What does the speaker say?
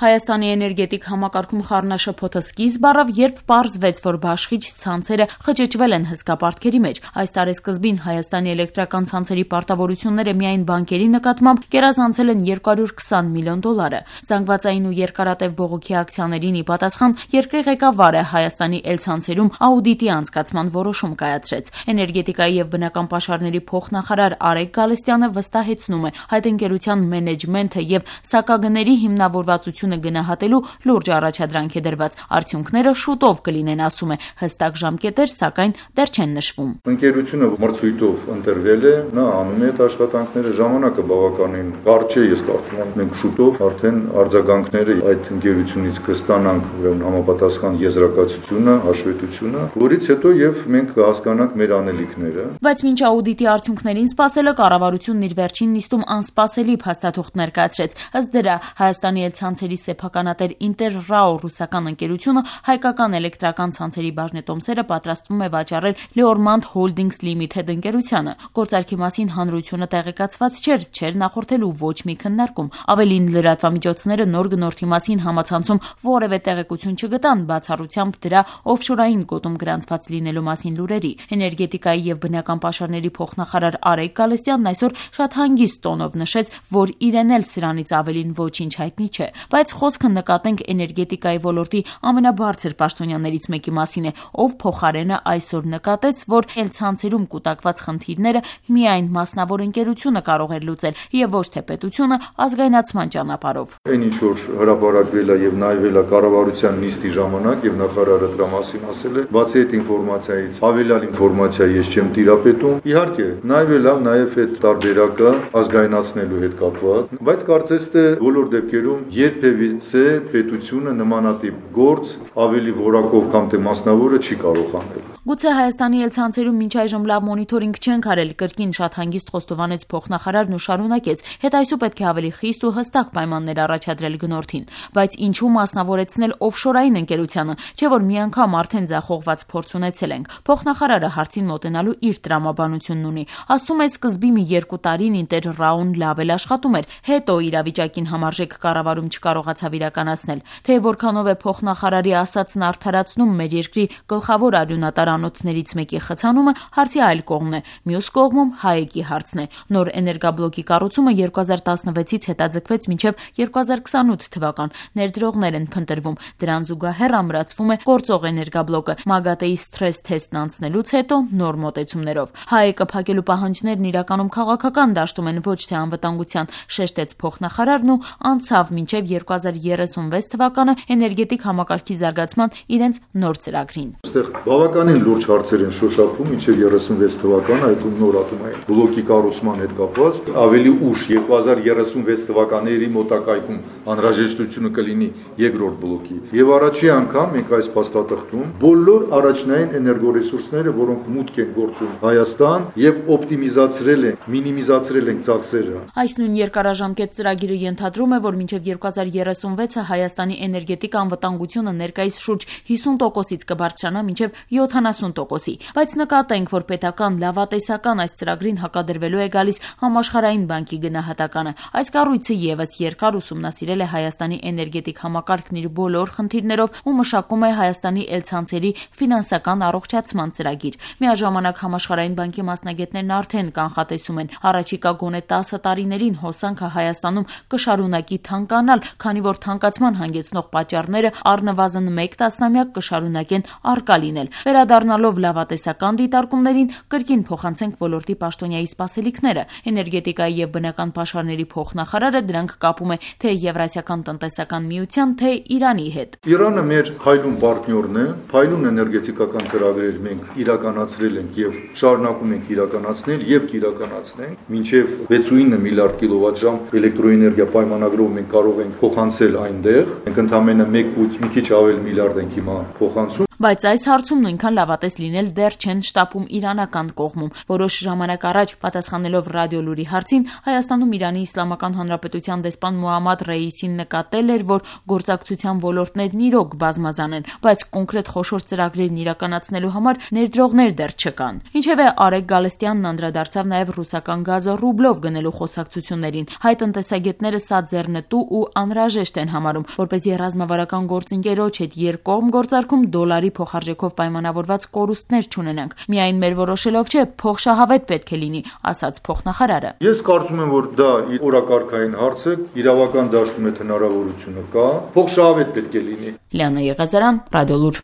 Հայաստանի էներգետիկ համակարգում խառնաշփոթը սկիզբ առավ, երբ պարզվեց, որ բաշխիչ ցանցերը խճճվել են հսկա պարտքերի մեջ։ Այս տարեսկզբին Հայաստանի էլեկտրական ցանցերի պարտավորությունները միայն բանկերի նկատմամբ գերազանցել են $220 միլիոն։ Զանգվածային ու երկարատև բողոքի ակցիաներին ի պատասխան երկրի ղեկավարը Հայաստանի էլցանցերում աուդիտի անցկացման որոշում կայացրեց։ Էներգետիկայի եւ բնական պաշարների փոխնախարար Արեգ Գալստյանը վստահեցնում է, այդ ընկերության մենեջմենթը եւ սակագների հիմնավորվածությունը գնահատելու լուրջ առաջադրանք է դրված։ Արդյունքները շուտով կլինեն, ասում է, հստակ ժամկետեր, սակայն դեռ չեն նշվում։ Ընկերությունը մրցույթով ընտրվել է, նա անում է այդ աշխատանքները, ժամանակը բավականին կարճ է, ես կարծում եմ մենք շուտով արդեն արձագանքները այդ ընկերությունից կստանանք, ուրեմն համապատասխան եզրակացությունը, հաշվետվությունը, որից հետո եւ մենք կհասկանանք մեր անելիքները։ Բայց մինչ աուդիտի արդյունքներին սպասելը կառավարությունն իր վերջին նիստում անսպասելի փաստաթուղթ ներկայացրեց։ Ըստ դրա Հայաստանի էլցանցերի սեփականատեր Ինտերրաո ռուսական ընկերությունը հայկական էլեկտրական ցանցերի բաժնետոմսերը պատրաստվում է վաճառել Leormand Holdings Limited ընկերությանը։ Գործարքի մասին հանրությունը տեղեկացված չէր նախորդելու ոչ մի քննարկում։ Ավելին, լրատվամիջոցները նոր գնորդի մասին համացանցում որևէ տեղեկություն չգտան, բացառությամբ դրա օֆշորային գոտում գրանցված լինելու մասին լուրերի։ Էներգետիկայի եւ բնական պաշարների փոխնախարար Արեգ Գալստյանն այսօր շատ հանգիստ տոնով նշեց, որ իրեն էլ սրանից ավելին ոչինչ հայտնի չէ, բայց խոսքը նկատենք էներգետիկայի ոլորտի ամենաբարձր պաշտոնյաներից մեկի մասին է, ով փոխարենը այսօր նկատեց, որ էլցանցերում կուտակված խնդիրները միայն մասնավոր ընկերությունը կարող էր լուծել եւ ոչ թե պետությունը ազգայնացման ճանապարհով։ Այն ինչ որ հրապարակվել է եւ նայվել է կառավարության նիստի ժամանակ եւ նախարարը դրա մասին ասել է, բացի այդ ինֆորմացիայից ավելալ ինֆորմացիա ես չեմ տիրապետում։ Իհարկե, նայվել է նաեւ այդ տարբերակը ազգայնացնելու հետ կապված, բայց կարծես թե բոլոր դեպքերում երբևիցե պետությունը նմանատիպ գործ ավելի որակով կամ թե մասնավորը չի կարող անել։ Գուցե Հայաստանի էլցանցերում մինչ այժմ լավ մոնիթորինգ չեն արել, կրկին շատ հանգիստ խոստովանեց փոխնախարարն ու շարունակեց. Հետ այսու պետք է ավելի խիստ ու հստակ պայմաններ առաջադրել գնորդին, բայց ինչու մասնավորեցնել օֆշորային ընկերությանը, չէ՞ որ մի անգամ արդեն ձախողված փորձ ունեցել ենք։ Փոխնախարարը հարցին մոտենալու իր տրամաբանությունն ունի։ Ասում է, սկզբի մի 2 տարին Ինտերրաոն լավ էլ աշխատում էր, հետո իրավիճակին համարժեք կառավարում չկարողացավ իրականացնել։ Թե որքանով է փոխնախարարի ասածն արդարացնում մեր երկրի գլխավոր արյունատար անոթներից մեկի խցանումը, հարցի այլ կողմն է։ Մյուս կողմում Հայեկի հարցն է։ Նոր էներգաբլոկի կառուցումը 2016-ից հետաձգվեց մինչև 2028 թվական։ Ներդրողներ են փնտրվում։ Դրան զուգահեռ ամրացվում է գործող էներգաբլոկը ՄԱԳԱՏԵ-ի սթրես թեստն անցնելուց հետո նոր մոտեցումներով։ Հայեկը փակելու պահանջներն իրականում քաղաքական դաշտում են, ոչ թե անվտանգության, շեշտեց փոխնախարարն ու անցավ մինչև 2036 թվականը էներգետիկ համակարգի զարգացման իրենց նոր ծրագրին։ Այստեղ բավականին լուրջ հարցեր են շոշափվում մինչև 36 թվականը այդ նոր ատոմային բլոկի կառուցման հետ կապված, ավելի ուշ 2036 թվականների մոտակայքում անհրաժեշտությունը կլինի երկրորդ բլոկի։ Եվ առաջի անգամ մենք այս փաստաթղթում բոլոր առաջնային էներգորեսուրսները, որոնք մուտք են գործում Հայաստան եւ օպտիմիզացրել են, մինիմիզացրել են ծախսերը։ Այս նույն երկարաժամկետ ծրագիրը ենթադրում է, որ մինչև 2036-ը Հայաստանի էներգետիկ անվտանգությունը ներկայիս շուրջ 50%-ից կբարձրանա մինչև 70%-ի, բայց նկատենք, որ պետական լավատեսական այս ծրագրին հակադրվելու է գալիս Համաշխարհային բանկի գնահատականը։ Այս կառույցը եւս երկար ուսումնասիրել է Հայաստանի էներգետիկ համակարգն իր բոլոր խնդիրներով ու մշակում է Հայաստանի էլցանցերի ֆինանսական առողջացման ծրագիր։ Միաժամանակ Համաշխարհային բանկի մասնագետներն արդեն կանխատեսում են, առաջիկա գոնե 10 տարիներին հոսանքը Հայաստանում կշարունակի թանկանալ, քանի որ թանկացման հանգեցնող պատճառները առնվազն 1 տասնամյակ կշարունակեն առկա լինել։ Վերադառնալով լավատեսական դիտարկումներին, կրկին փոխանցենք ոլորտի պաշտոնյայի սպասելիքները։ Էներգետիկայի եւ բնական պաշարների փոխնախարարը դրանք կապում է թե Եվրասիական տնտեսական միության, թե Իրանի հետ։ Իրանը մեր փայլուն պարտներն է, փայլուն էներգետիկական ծրագրեր մենք իրականացրել ենք եւ շարունակում ենք իրականացնել եւ կիրականացնենք։ Մինչեւ 69 միլիարդ կիլովատժամ էլեկտրոէներգիա պայմանագրով մենք կարող ենք փոխանցել այնտեղ։ Մենք ընդամենը 1 ու մի քիչ ավել միլիարդ ենք հիմա փոխանցում։ Բայց այս հարցում նույնքան լավատես լինել դեռ չեն շտապում իրանական կողմում։ Որոշ ժամանակ առաջ պատասխանելով Ռադիոլուրի հարցին, Հայաստանում Իրանի Իսլամական Հանրապետության դեսպան Մոհամմադ Ռեյիսին նկատել էր, որ գործակցության ոլորտներն իրոք բազմազան են, բայց կոնկրետ խոշոր ծրագրերն իրականացնելու համար ներդրողներ դեռ չկան։ Ինչևէ, Արեգ Գալստյանն անդրադարձավ նաև ռուսական գազը ռուբլով գնելու խոսակցություններին։ Հայ տնտեսագետները սա ձեռնտու ու անհրաժեշտ են համարում, որպեսզի ռազմավարական գործընկերոջ հետ երկկողմ գործարքում դոլարի փոխարժեքով պայմանավորված կորուստներ չունենանք։ Միայն մեր որոշելով չէ, փոխշահավետ պետք է լինի, ասաց փոխնախարարը։ Ես կարծում եմ, որ դա օրակարգային հարց է, իրավական դաշտում այդ հնարավորությունը կա, փոխշահավետ պետք է լինի։ Լիանա Եղազարյան, Ռադիոլուր։